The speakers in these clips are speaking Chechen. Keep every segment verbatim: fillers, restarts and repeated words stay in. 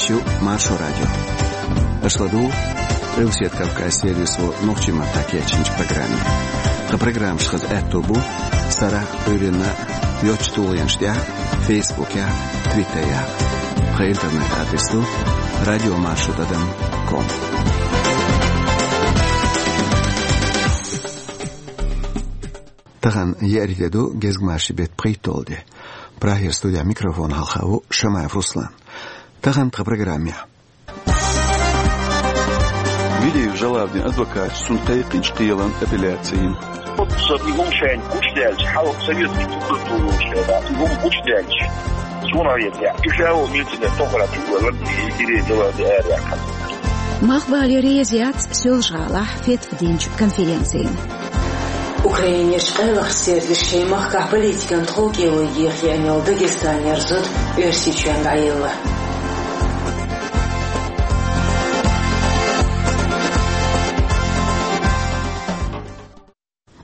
Шу Маршо радио. Аша ладугӀу Къилбаседа Кавказан сервисо нохчийн маттахь кечйинчу программе. Тхан программаш хаза аьтто бу сарахь а, Ӏуьйранна а йоцчу тулгӀенаш тӀехь а, Фейсбукехь а, Твиттерехь а. Тхан интернет-адрес ду радиомаршо тӀадам ком. Тахана еарин де ду, гезгмашин беттан пхийтталгӀа де. Прагера студехь микрофон хьалха ву Шамаев Руслан. Тахана тхан программехь. Гириев Жалавдин адвокаташа цунна кхайкхинчу кхелан апелляци йина. Оццул и хӀума шайна гучудаьлча, хьалха советский прокуратура шайна и хӀума гучудаьлча, суна хетарехь, и ша волу милиционер тохара чу а ваьлла, и Гириев Жалавди ара яьккхина. Мах бале реза яц Соьлжа-ГӀалахь фетва динчу конференцина. Украинерчу къайлахчу сервисаша шайн махкахь политикан тховкӀело еха еана йолу Дагестанера зуда Оьрсийчоьнна дӀаелла.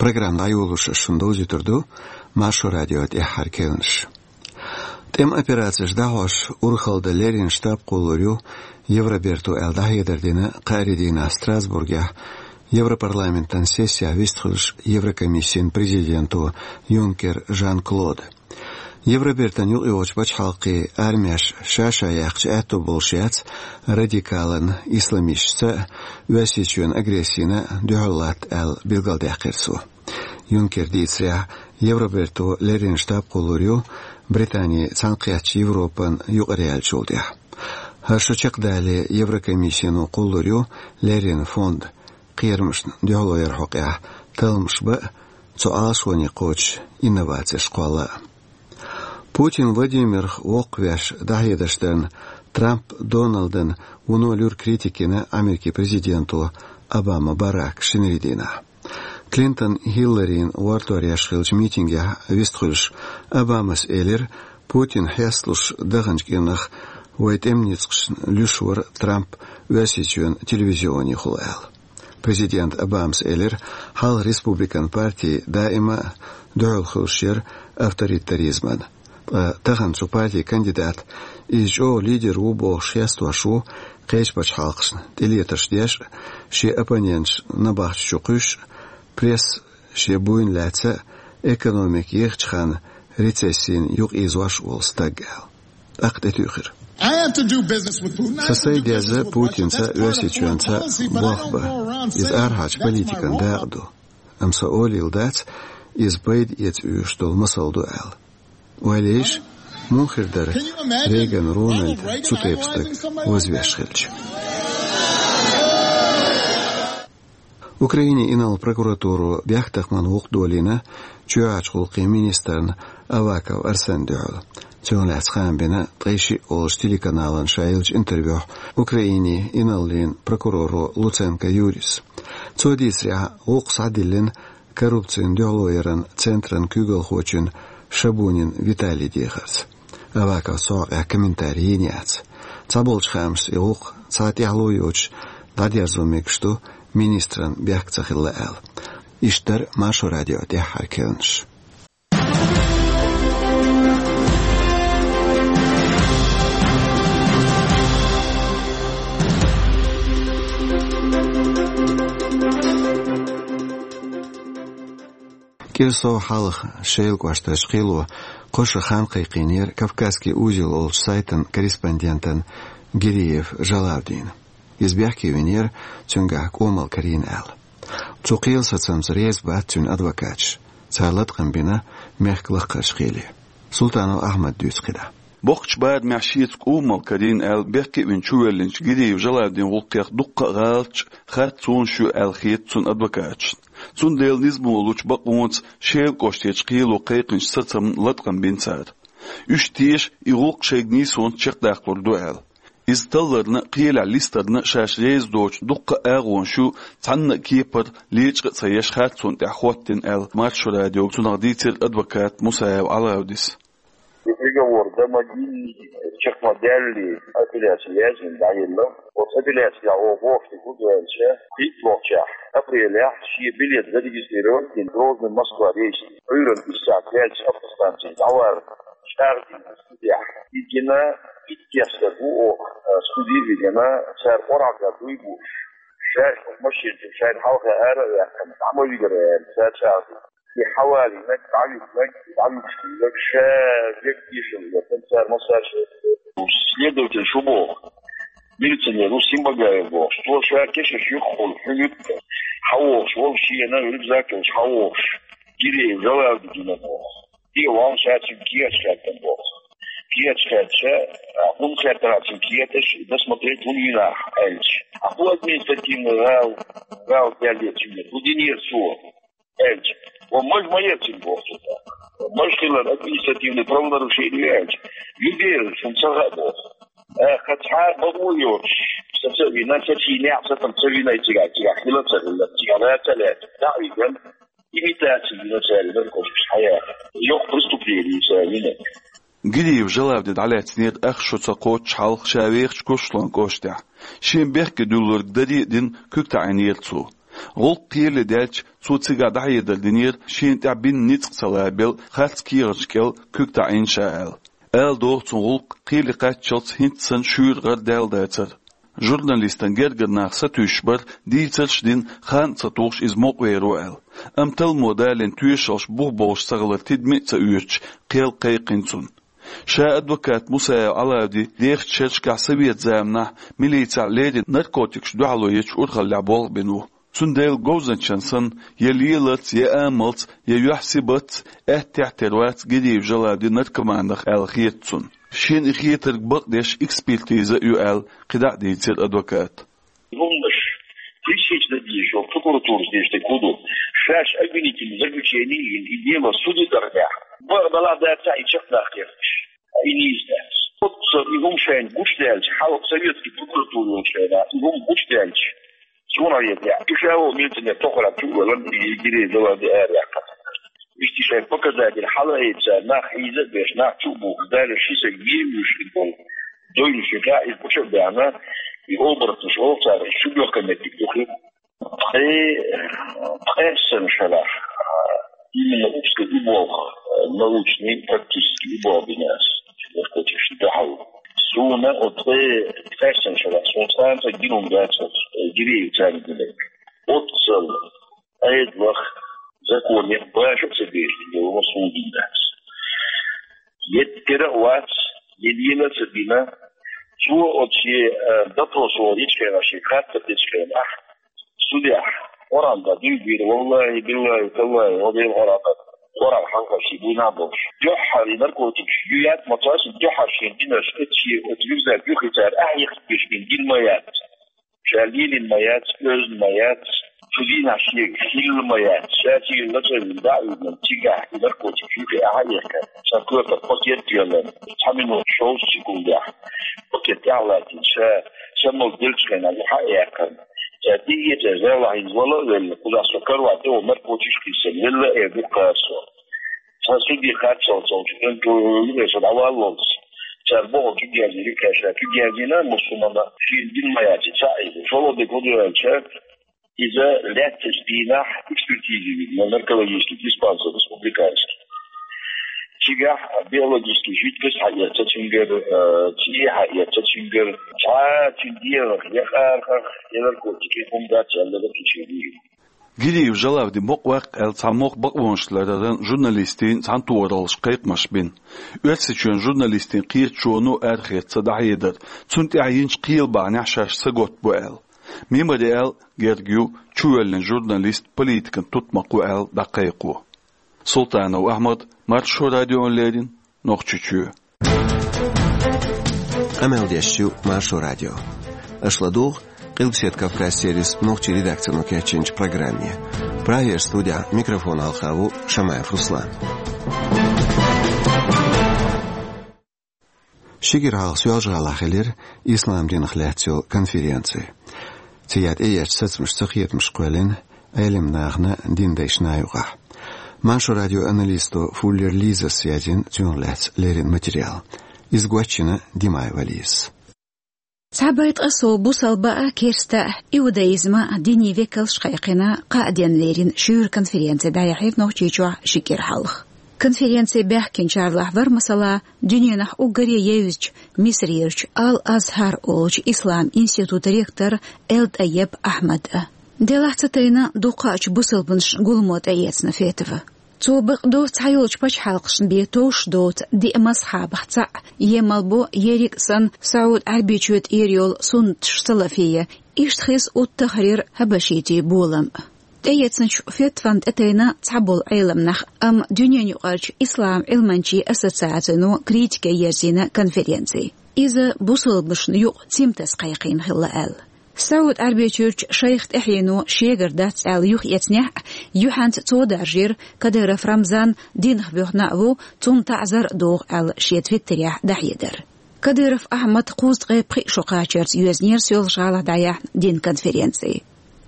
Программа дӀайолош ас шуна довзуьйтур ду Маршо радион тӀаьххьара керланаш. ТӀеман операцеш дӀахьош урхалла дан леррина штаб кхуллур ю Евроберто аьлла дӀахьедар дина кхаарин дийнахь Страсбургехь Европарламентан сессехь вистхуьлуш Еврокомиссин президенто Юнкер Жан-Клода. Евробертан юкъайогӀучу пачхьалкхийн армеш ша-ша яьккхича аьтто болуш яц радикалан исламисташца а, Оьрсийчоьнан агрессина а дуьхьал латта аьлла билгалдаьккхира цо. Юнкера дийцарехь, Евроберто леррина штаб кхуллур ю Британи цхьаьнакхеттачу Европан юкъара яьллачул тӀаьхьа. ХӀара шо чекхдале Еврокомиссино кхуллур ю леррина фонд кхерамашна дуьхьало яран хьокъехь талламаш бан а, цу Ӏалашоне кхочуш инновацеш кхолла а. Путин Владимирах воккхавеш дӀахьедарш дарна Трамп Доналдан вуно луьра критика йина Америкин президенто Обама Барака шинарин дийнахь. Клинтон Хилларин гӀортор еш хиллачу митингехь вистхуьлуш Обамас элира, Путина хьесталуш даханчу кӀирнах вайн тӀеман ницкъашна луьйш вара Трамп Оьрсийчоьнан телевизионехула аьлла. Президент Обамас элира, хьалха Республикан парти даима а дуьхьал хуьлуш яра авторитаризмана. Ткъа тахана цу партин кандидат иза чӀогӀа лидер ву бохуш хестош ву кхечу пачхьалкхашна тӀелетарш деш а, шен оппоненташ набахти чу кхуьйсуш а, пресса шен буйна лаьцна а, экономика ехачу ханна рецессина юкъаийзош а волу стаг аьлла. ТӀаккха тӀетуьйхира. I have to do business with Putin. Сан сайга деза Путинца а, Оьрсийчоьнца а болх бан. Иза арахьарчу политикан дакъа ду. Амма сан олийла дац, иза пайда эца оьшуш долу масал ду аьлла. Ойла йийша, муха хир дара Рейган Рональд цу тайпа стаг вазвеш хилча. Украинин инарла прокуратуро бехктакхаман гӀуллакх долийна чоьхьарчу гӀуллакхийн министрна Аваков Арсенна дуьхьал. Цунах лаьцна хаам бина ткъе шиъ олучу телеканална ша еллачу интервьюхь Украинин инарлийн прокуроро Луценко Юрис. Цо дийцарехь, гӀуллакх схьадиллина коррупцина дуьхьало яран центран куьйгалхочун Шабунин Виталин дехарца. Аваковс цу хьокъехь комментари йийна яц. Цхьаболчу хаамашца и гӀуллакх цхьа тӀаьхьало йоцуш дӀадерзо мегаш ду министран бехк ца хилла аьлла. Иштта дара Маршо радион тӀаьххьара керланаш. КӀира сов хьалха Шелан кӀоштарчу кхело кхо шо хан кхайкхийнера «Кавказский узел» олучу сайтан корреспондентана Гириев Жалавдина. Иза бехке винера, цуьнгахь кӀомал карийна аьлла. Цу кхелан сацамца реза бац цуьнан адвокаташ. Цара латкъам бина мехкан лакхарчу кхеле. Султанов Ахьмада дуьйцу кхидӀа. Боккхачу барамехь шеца кӀомал карийна аьлла, бехке а вина чувоьллинчу Гириев Жалавдинан гӀуллакхех дуккха а гӀалаташ, харцонаш ю аьлла хета цуьнан адвокаташна. Цундела низамо лучу бакъонца Шелан кӀоштарчу кхело кхайкхинчу сацамна латкъам бина цара. Уьш теша и гӀуллакх шайга нийсонца чекхдаккхалур ду аьлла. Иза талларна а, кхелехь листарна а шаьш реза доцу дуккха а агӀонаш ю, цхьанна а кепара лечкъа а ца еш, харцонна тӀехь хӀоттийна аьлла, Маршо радиога цунах дийцира адвоката Мусаев Алаудис. И приговор до могильный, чекхмадаьлла апелляци яздина дӀаелла. Оцу апелляцехь оха бохуш дерг хӀун ду аьлча, кхийтталгӀачохь апрелехь шен билет зарегистрировать дина Грозный — Москва рейсана, Ӏуьйранна исс сахьт даьлча автостанцехь дӀаварна чӀагӀдина студехь. И гина Кестар бу оха, а, студия вигана, цар къорагӀа дуй бу. Шаьш машин, шаьш хьалха ара а яьккхина, дӀа ма вигара аьлла, цар чӀагӀду. И хьавалинаг, дӀавигнаг, дӀавигнаг, ша век дийшал ватан, цар массаж. Следователь шу боху, милиционер ву Симбагаев боху, цо ша кешаш юххула хьуьнуьйтта, хьавогӀуш волу шена рюкзак йолуш хьавогӀуш, Гиреев Жалавди гина боху. Те валла ша цуьнга кехаташ хаьттина боху. Кехаташ хаьттича, а, хӀунда хаьттина цуьнга кехаташ, досмотреть хӀунда йина ахь аьлча. А хӀун административный гӀала, гӀала даьлла цуьнга, хӀун динера цо аьлча. Ва маж ма яра цуьнга боху цо тӀаккха. Маж хилар административный правонарушение аьлча. Ю дера, шуна ца хаьа боху. Э, кхин цхьа а бакъо йоцуш, са ца вина, са цӀийнехь, са там ца вина, и цигахь, цигахь хила ца хилла, цигахь ла ца лаьцна. ДӀа а вигна, имитаци йина цара наркотикаш хьаяха. Йоккха преступление цара йина. Гиреев Жалавди дӀалаьцнера ах шо ца кхоччуш хьалха ша вехачу Курчалойн кӀоштехь. Шен бехке дуьллург даре а дина, куьг таӀийнера цо. ГӀуллакх кхеле даьлча, цо цигахь дӀахьедар динера шена тӀехь бина ницкъ ца лабелла харц кехаташ кӀел куьг таӀийна ша аьлла. Ала догӀу цунна гӀуллакх кхеле кхаччалц хӀинца санна шуьйра гӀар даьлла дацара. Журналистан гергара нах сатуьйсуш бара, дийцарш а дина, хан а ца тухуш иза мукъавер ву аьлла. Амма талламо далийна тоьшаллаш бух болуш ца хилар тидаме а ца оьцуш, кхел кхайкхина цунна. Ша адвокат Мусаев Ӏалавди дехачу шерашкахь совет заманахь милицехь леррина наркотикашна дуьхьало ечу урхаллехь болх бина ву. Цундела говзанчан санна, я леларца, я амалца, я юьхь сибатца аьттехьа тера вац Гиреев Жалавди наркоманах аьлла хета цунна. Шена и хетарг бакъдеш экспертиза а ю аьлла, кхидӀа а дийцира адвоката. ХӀуманаш пресечь дан дезаш йолу прокуратурас деш дерг хӀун ду? Шаьш обвинительный заключение йина, и дело суде дахнехь, бакъ далахь дацахь, и чекхдаккха кхеташ, и нийса дац. Оццул и хӀума шайна гучудаьлча, хьалха советский прокуратура йолчу хенахь и хӀума гучудаьлча, цунах еза, и ша волу милиционер тохара чу а валан, и Гиреев Жалавди ара яьккхина. Иштта шайн показатель хьала а эца, нах хьийза а беш, нах чу а бухуш, Дала ши саг вийр вуьйш хир болу. Дойла ши хьа иза гуча а баьхна, и оборотнаш олу цара, шу бехкан меттиг ду хир. Ткъе, ткъе санна шарахь, именно узкий и болх, научный, практический и болх бина ас. Наркотикашна дуьхьал. Суна оцу ткъе, ткъе санна шарахь, суна цкъа а гина хӀума дац оцу, Гиреев царна гина. Оццул Ӏедалах, законех баша а ца беш, дела суна гина дац. Еттара а вац, я лела а ца дина, цо оцу шен, э, допрос вахана йича хенахь, шен хаттар дечу хенахь, судехь, Къуръан тӀе дуй бийра, валлахӀи, биллахӀи, таллахӀи, ва Делан Къуръан тӀе, Къуръан хьалха шен буйна а болуш. Дуьххьара и наркотикаш ю яц ма цо, дуьххьара шен динарш эцчи оцу рюкзак юххе цара ахьа яхкаш бен дина ма яц. Ша лелийна ма яц, оьзна ма яц, цу дийнахь шега хилла ма яц. Ша цигара лачкъийна дӀа а вигна, цигахь и наркотик юххе ахьа а яхкина, сан коьртах пакет а ялларна, цхьа минот шовзткъа секундехь пакет тӀехь а латтийна, ша самал делчу хенахь юха а яьккхина. Ша тӀеэцара зералахь иза вала а велла, кхузахь со каравай тӀе ван наркотикаш кхиссина велла а эр ду кхара со. Цхьа суьде кхаччалц волчу контроле со дӀаваллалц. Цара бохург куьг яздина, кхаьчна куьг яздина, массо а мана шена дина ма яц и цхьаъ иза. ШолгӀа дерг хӀун ду аьлча, иза лаьттачу дийнахь экспертизе вигна наркологический диспансер республиканский. Цигахь биологический жидкость хьаэцна цуьнгара, э, цӀий хьаэцна цуьнгара, цхьа а цуьнан дегӀах, я къаркъах, я наркотик, я хӀума дац аьлла, заключение. Гиреев Жалавди мукъа ваккха аьлла цхьа мохк бакъонаш лараран журналистийн цхьаьнатохараллаш кхайкхамаш бина. Оьрсийчоьнан журналистийн кхеташоно арахецна дӀахьедар, цунна тӀехь йинчу кхелан бахьанехь шаьш саготта бу аьлла. Мемориал герга ю чувоьллина журналист, политикан тутмакх ву аьлла дӀакхайкхо. Султанов Ахьмад, Маршо радиона леррина, Нохчийчоь. Къамел деш ю Маршо радио. Аша ладугӀу Къилбаседа Кавказ сервис нохчийн редакцино кечйинчу программе. Прагера студехь микрофон хьалха ву Шамаев Руслан. Ши кӀира хьалха Соьлжа-ГӀалахь хилира ислам динах лаьцна йолу конференци. Цигахь тӀеэцначу сацамашца кхетамаш кхоьллина Ӏелам нахана, динан дайшна а юкъахь. Маршо радион аналисто Фуллер Лизас язйина цунах лаьцна леррина материал. Иза гочйина Димаева Лизас. Цхьа бай ткъа сов бусалба а, керста а, иудаизм а динийн векалш кхайкхина, кхаа денна леррина шуьйра конференци дӀаяьхьира Нохчийчохь ши кӀира хьалха. Конференци баьхкинчарлахь вара, масала, дуьненахь уггаре евзачу Мисрерчу Ал-Азхьар олучу ислам институтан ректор Эл-ТӀаййиб Ахьмад а. Делахь ца тайна дукхачу бусалбанашна гуламо тӀеэцна фетва. Цо бакъду, цхьайолчу пачхьалкхашна бен товш доцу диъ мазхьабах цхьаъ, емал бу ерриг а санна, СаӀуд-Ӏаьрбийчоь тӀера йолу суннаташ салафийя, иштта хеза ут-Тахрир хьабашитийн болам а. ТӀеэцначу фетван тӀетайна цхьаболу Ӏеламнах, амма дуьненаюкъарчу ислам Ӏилманчийн ассоциацино критике ерзийна конференци. Иза бусалбанашна юкъа цимтас кхайкхийна хилла аьлла. СаӀуд-Ӏаьрбийчуьрчу шайх тӀаьхьено шегара дац аьлла юхаэцнехь а, юьхьанца цо даржийра, Кадыров Рамзан динах боьхна а ву, цунна таӀзар а догӀу аьлла шен твиттерехь дӀахьедар. Кадыров Ахьмад кхузткъе пхиъ шо кхачарца йоьзнера Соьлжа-ГӀалахь дӀаяьхьна динан конференци.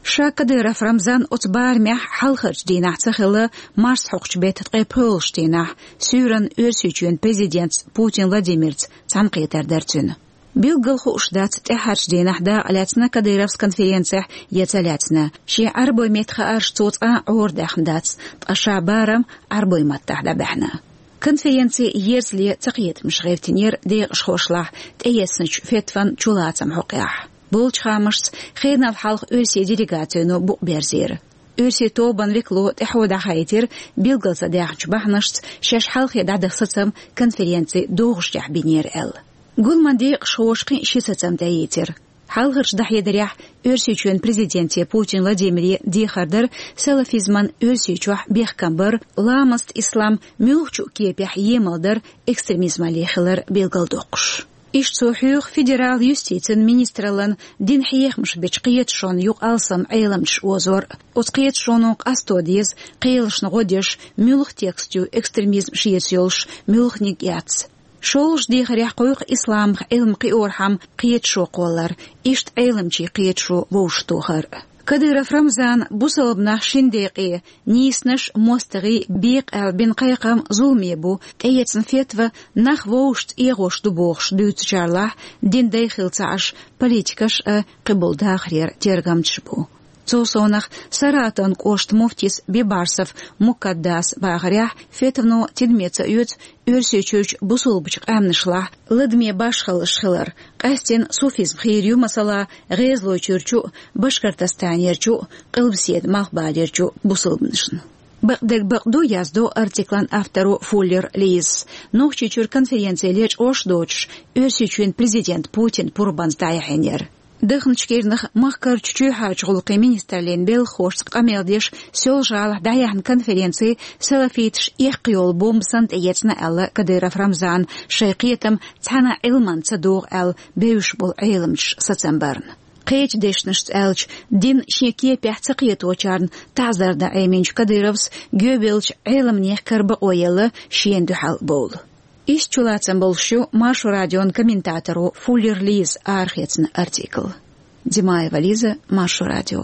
Ша Кадыров Рамзан оцу барамехь хьалхарчу дийнахь ца хилла, марсхьокхучу беттан ткъе пхоьалгӀачу дийнахь, суьйранна Оьрсийчоьнан президентца Путин Владимирца цхьаьнакхетар дара цуьнан. Билггал хууш дац, тӀаьххьарчу дийнахь дакъа лаьцна Кадыровс конференцехь я ца лаьцна. Шен Ӏарбой меттан хаарш цо цкъа а Ӏорадаьхна дац, ткъа ша барам Ӏарбой маттахь дӀабаьхьна. Конференци ерзале цакхетамаш гӀевттинера декъашхошлахь тӀеэцначу фетван чулацаман хьокъехь. Болчу хаамашца, хенал хьалха оьрсийн делегацино букъ берзийра. Оьрсийн тобанан векало тӀаьхьо дӀахаийтира, билггал ца даьхначу бахьанашца шаьш хьалхе дӀадаха сацам конференци догӀучохь бинера аьлла. Гуламан декъашхоша кхин а ши сацам тӀеийцира. Хьалхарчу дӀахьедарехь, Оьрсийчоьнан президенте Путин Владимире дехар дара салафизман Оьрсийчохь бехкам бар, ламаст ислам муьлххачу а кепехь емал дар экстремизмалле хилар билгалдоккхуш. Иштта цо хьоьху федерал юстицин министраллан динан хьехамаш бечу кхеташонна юкъа алсам Ӏеламчаш озор а. Оцу кхеташоно къасто деза, кхелашна гӀо деш, муьлха текст ю экстремизм шеца йолуш, муьлханиг яц. ШолгӀачу дехарехь кхойкху исламах Ӏилма кхиорхьама кхеташо кхоллар, иштта Ӏеламчийн кхеташо вовшахтохар. Кадыров Рамзана бусалба нах шина декъе, нийсанаш а, мостагӀий а бекъа аьлла бина кхайкхам зуламе бу, тӀеэцна фетва нах вовшашца эгӀош ду бохуш дуьйцучарлахь, динан дай хилла ца Ӏаш, политикаш а, кхиболу дахарера тергамчаш бу. Цул совнаха Саратовн кӀоштан муфтис Бибарсов Мукаддаса бахарехь, фетвано тидаме ца оьцу Оьрсийчуьрчу бусалбачу къаьмнашлахь ладаме башхаллаш хилар, къаьстина суфизм хийра ю, масала, ГӀезалойчуьрчу а, Башкортостанерчу а, Къилбаседа Малхбалерчу а бусалбанашна. Бакъдерг бакъду, яздо артиклан авторо Фуллер Лизас, Нохчийчуьра конференци лечкъош а доцуш, Оьрсийчоьнан президент Путин пурбанца дӀаяхьийнера. Дахначу кӀирнах махкарчу чоьхьарчу гӀуллакхийн министраллин белхахошца къамел деш Соьлжа-ГӀалахь дӀаяьхьна конференци салафиташ эккха йолу бомба санна тӀеэцна аьлла Кадыров Рамзана, шайн кхетам цхьана а Ӏилманна ца догӀу аьлла бевзаш болу Ӏеламчаш сацам барна. Кхечу дешнашца аьлча, дин шен кепехь ца кхеточарна таӀзар дан Ӏеминчу Кадыровс гоьбеллачу Ӏеламнех кара бакъо елла шена дуьхьал бовла. Иштта чулацам болуш ю Маршо радион комментаторо Фуллер Лизас арахецна артикл. Димаева Лиза, Маршо радио.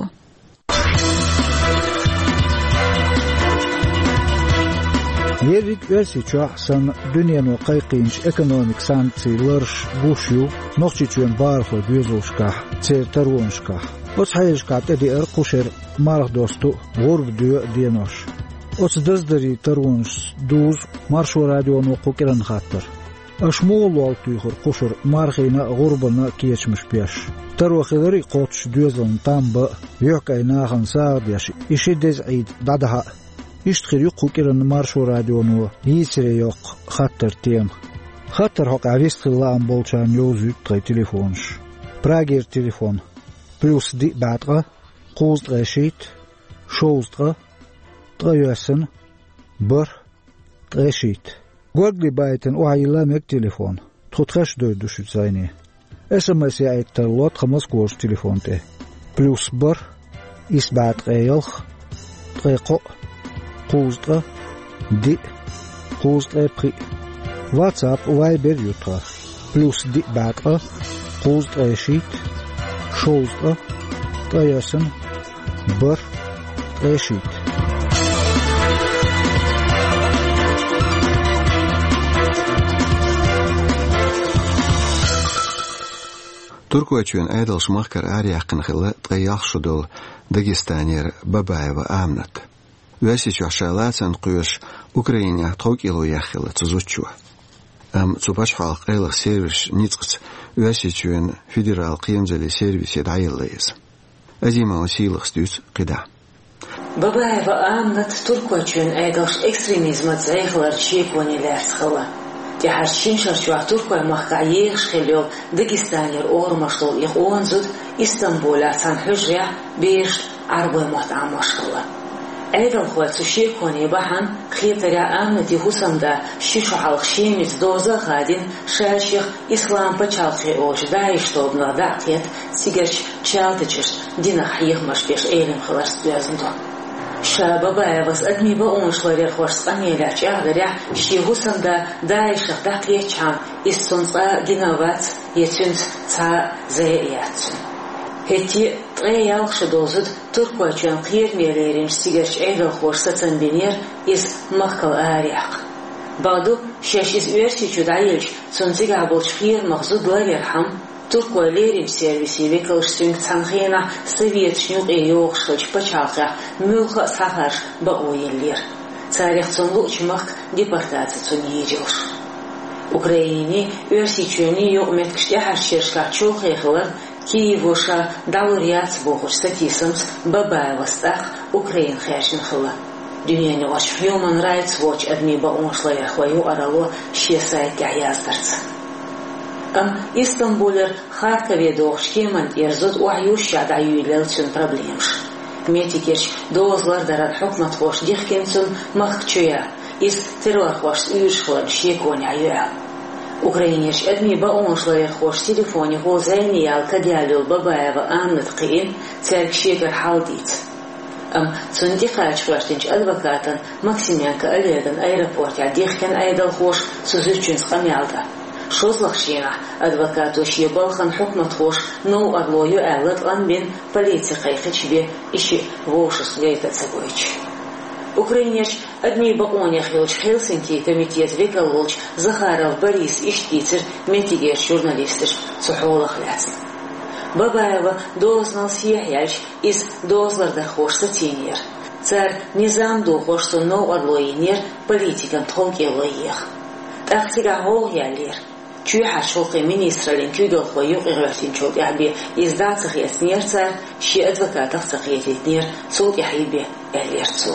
Ерриг Оьрсийчохь санна дуьнено кхайкхийначу экономикан санкцийн ларш гуш ю Нохчийчоьнан бахархойн доьзалшкахь, церан таронашкахь. Оцу хьелашкахь тӀедеара кху шеран марха досту а, гӀурба доьу а денош. Оцу даздарийн таронашца дузу Маршо радионо кху кӀиранан хаттар. Аша муха лол туьйхира кху шарахь мархина а, гӀурбана а кечамаш беш? Таро хиларий кхоччуш доьзална там бан а, юьхькӀайн нахана сагӀа деш, и ши деза Ӏийда дӀадахьа а? Иштта хир ю кху кӀиранан Маршо радионо йийцаре йоккху хаттаран тема. Хаттаран хьокъехь вистхила лаам болчарна йовзуьйту тхайн телефонаш. Прагера телефон: плюс диъ бӀе ткъа, кхузткъе шийтта, шовзткъа, ткъайоьсна, бархӀ, ткъе шийтта. Горгали байтина охьайилла мега телефон. Тхо тхаьш дойр ду шуьца зӀене. СМС яийта тарло тхан Москварчу телефон тӀе: плюс бархӀ, исс бӀе ткъе ялх, ткъе кхоъ, кхузткъа, диъ, кхузткъе пхиъ. WhatsApp, Viber ю тхан: плюс диъ бӀе ткъа, кхузткъе шийтта, шовзткъа, ткъайоьсна, бархӀ, ткъе шийтта. Туркойчоьнан Ӏедалша махкара араяьккхина хилла ткъе ялх шо долу Дагестанера Бабаева Аминат. Оьрсийчохь ша лацарна кхоьруш Украинехь тховкӀело яьккхина хилла цу зудчо. Амма цу пачхьалкхан къайлаха сервисийн ницкъаца Оьрсийчоьнан федералан кхерамазаллин сервисе дӀаелла иза. Азимова Сийлахас дуьйцу кхидӀа. Бабаева Аминат Туркойчоьнан Ӏедалш экстремизмаца зӀе хиларна шеконе лаьцна хилла. ТӀаьхьарчу шина шарчохь Туркойн махкахь ехаш хилла йолу Дагестанера орамаш долу и къона зуда Истамбулехь цхьана хьуьжарехь берашна Ӏарбойн мотт Ӏамош хилла. Ӏедалхойн цу шеконан бахьана хетарехь, Аминатан хӀусамда ши шо хьалха Шемаца доза а хадийна, ша-шех Ислам пачхьалкх олучу ДАИШ тобанах дӀа а кхетта, цигарчу Чалтачашна динах хьехамаш беш Ӏелам хиларца доьзна ду. Ша Бабаевас адамийн бакъонаш ларъярхошца къамелехь чӀагӀдарехь, шен хӀусамда ДАИШах дӀакхеттачхьана, иза цунна цкъа а гина а вац, я цуьнца цхьа а зӀе а яц цуьнан. ХӀетте а ткъе ялх шо долу зуда Туркойчоьнан кхераме леринчу цигарчу Ӏедалхоша сацам бинера иза махкал араяьккха. Бакъду, шаьш иза Оьрсийчу дӀаелча, цунна цигахь болчу кхерамах зуда ларъярхьама, туркойн леринчу сервисийн векалш цуьнга цхьана хенахь Советашна юкъе йогӀуш хиллачу пачхьалкхехь муьлхха а схьахаржа бакъо еллера. Царах цунна луъучу махка депортаци цунна йийр йолуш. Украинин, Оьрсийчоьнан юкъаметтигаш тӀаьхьарчу шерашкахь чолхе хиларна, Киево ша дӀалур яц бохучу сатийсамца Бабаевас тӀаккха Украина хаьржина хилла, дуьненаюкъарчу Human Rights Watch, адамийн бакъонаш ларъярхойн юкъаралло, шен сайтехь яздарца. Амма Истамбулера Харькове догӀучу кеман тӀера зуда охьаюьйшшехь дӀайоьллина цуьнан проблемаш. Меттигерчу доза лардаран хьукматхоша дихкина цунна махка чу ян, иза террорхошца уьйраш хиларна шеконехь ю аьлла. Украинерчу адамийн бакъонаш ларъярхоша телефонехула зӀене яла кадъяьлла йолу Бабаева Аминат кхиийна, цаьрга шегара хьал дийца. Амма цунна тӀекхача гӀоьртинчу адвокатан Максименко Олеган аэропортехь дихкина Ӏедалхоша цу зудчуьнца къамел дан. ШозлагӀчу дийнахь адвокато шен балхана хьукматхоша новкъарло ю аьлла латкъам бина, полици кхайкхича бен, и шиъ вовшашца гайта а ца гойтуш. Украинерчу адамийн бакъонех йолчу Хельсинкин комитетан векал волчу Захаров Бориса иштта дийцира меттигерчу журналисташка цу хьолах лаьцна. Бабаева дозанал сехьаяьлча, иза дозалардархоша сацийнера. Цара низам дохош цунна новкъарло йинера политикан тховкӀело еха. ТӀаккха цигахь гӀовгӀа яьллера. Чоьхьарчу гӀуллакхийн министраллин куьйгалхой юкъагӀоьртинчул тӀаьхьа бен иза дӀа а ца хецнера цара, шен адвокатах а ца кхетийтинера, цул тӀаьхьа бен, аьллера цо.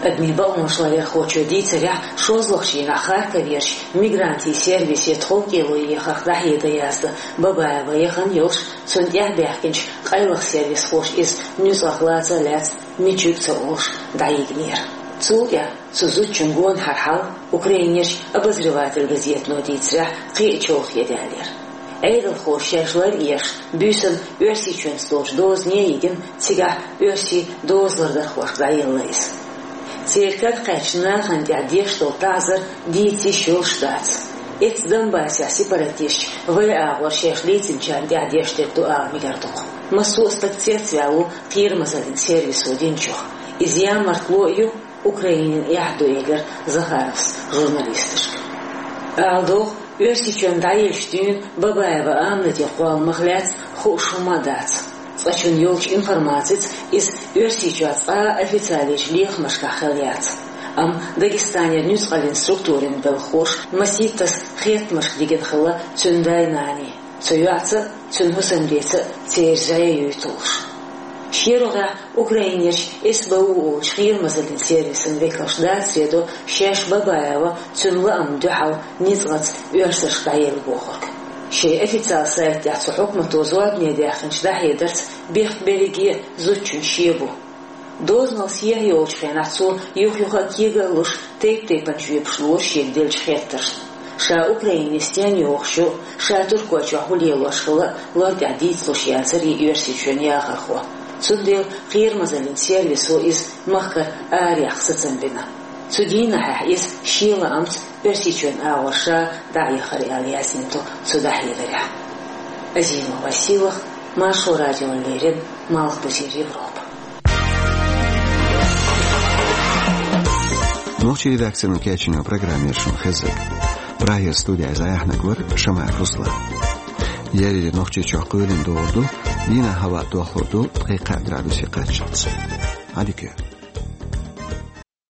Адамийн бакъонаш ларъярхочо дийцарехь, шозлагӀчу дийнахь Харьковерчу мигрантийн сервисе тховкӀело ехарх дӀахьедар яздан Бабаева яхана йолуш, цунна тӀаьхьабаьхкинчу къайлаха сервисхоша иза нуьцкъах лаца а лаьцна, мичиг а ца олуш, дӀайигнера. Цул тӀаьхьа цу зудчун гонахьара хьал Украинерчу «Обозреватель» газетано дийцарехь кхин а чолхе даьллера. Ӏедалхоша шаьш лар а еш, буьйсанна Оьрсийчоьнца долчу дозане а йигина, цигахь оьрсийн дозалардархошка дӀаелла иза. Церан кара кхаьчначу нахана тӀехь деш долу таӀзар дийца йиш йолуш дац. Эццахь Донбассехь сепаратисташа вайн агӀор шаьш лецначарна тӀехь деш дерг ду ала мегар ду-кх. Массо а стаг цецваьлла ву кхерамазаллин сервисо динчух. Иза ямартло а ю, Украинина эхь а ду, элира Захаровс журналисташка. Ала догӀу, Оьрсийчоьнна дӀаеллачу дуьйна Бабаева Аминатан кхолламах лаьцна хууш хӀума а дац. Цкъачунна йолчу информацица иза Оьрсийчохь цкъа а официалечу лехамашкахь хилла яц. Амма Дагестанера нуьцкъаллин структурийн белхахоша масийттаза хеттамашка дигина хилла цуьнан дай-наний, цу йоӀца а, цуьнан хӀусамдеца а церан зӀе юьйталуш. ШерогӀехь Украинерчу СБУ олучу кхерамазаллин сервисан векалш дацаре до шаьш Бабаева цуьнан лаамна дуьхьал ницкъаца оьрсашка дӀаелла бохург. Шайн официал сайта тӀехь цу хьукмато зорбане даьккхинчу дӀахьедарца бехк берриге а зудчун шен бу. Дозанал сехьа йолчу хенахь цо юх-юха а кега а луш, тайп-тайпана жоьпаш лора шега деллачу хеттаршна. Ша Украине стенна йогӀуш ю, ша Туркойчохь хӀун лелош хилла а лар тӀехь дийцалуш яцара и Оьрсийчоьнан яхархо. Цундела кхерамазаллин сервисо иза махкара араяхьа сацам бина. Цу дийнахьехь иза шен лаамца Оьрсийчоьнан агӀор ша дӀаэхара аьлла яздина ду цу дӀахьедарехь. Азимова Сийлаха, Маршо радиона леррина, Малхбузера Европа. Нохчийн редакцино кечйина программа яра шуна хезнарг. Прагера студехь иза яхьнарг вара Шамаев Руслан. Ерриг Нохчийчохь кхоьлина догӀур ду, дийнахь хӀаваъ дохлур ду ткъе кхаа градусе кхаччалц. Ӏадика йойла.